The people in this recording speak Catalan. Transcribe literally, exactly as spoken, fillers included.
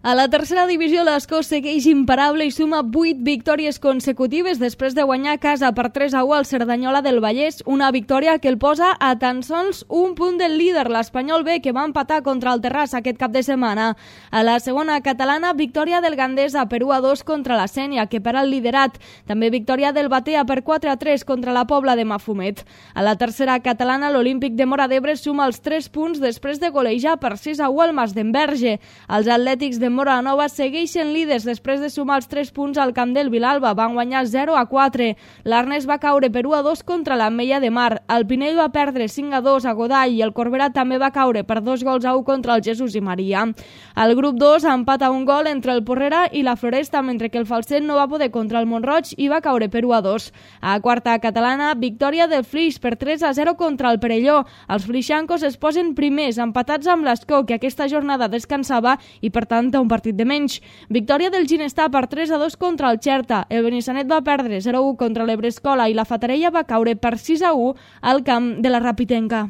A la tercera divisió, l'Escó segueix imparable i suma vuit victòries consecutives després de guanyar a casa per tres a u al Cerdanyola del Vallès, una victòria que el posa a tan sols un punt del líder, l'Espanyol B, que va empatar contra el Terrassa aquest cap de setmana. A la segona catalana, victòria del Gandesa per u a dos contra la Sénia, que per al liderat. També victòria del Batea per quatre a tres contra la Pobla de Mafumet. A la tercera catalana, l'Olímpic de Móra d'Ebre suma els tres punts després de golejar per sis a u al Masdenverge. Els atlètics de Móra Nova segueixen líders després de sumar els tres punts al camp del Vilalba. Van guanyar zero a quatre. L'Arnes va caure per u a dos contra l'Ametlla de Mar. El Pinell va perdre cinc a dos a Godall i el Corbera també va caure per dos gols a u contra el Jesús i Maria. El grup dos empata un gol entre el Porrera i la Floresta, mentre que el Falset no va poder contra el Montroig i va caure per u a dos. A quarta catalana, victòria del Flix per tres a zero contra el Perelló. Els flixancos es posen primers, empatats amb l'Escó, que aquesta jornada descansava i per tant té un partit de menys. Victòria del Ginestar per tres a dos contra el Xerta. El Benissanet va perdre zero a u contra l'Ebrescola i la Fatarella va caure per sis a u al camp de la Rapitenca.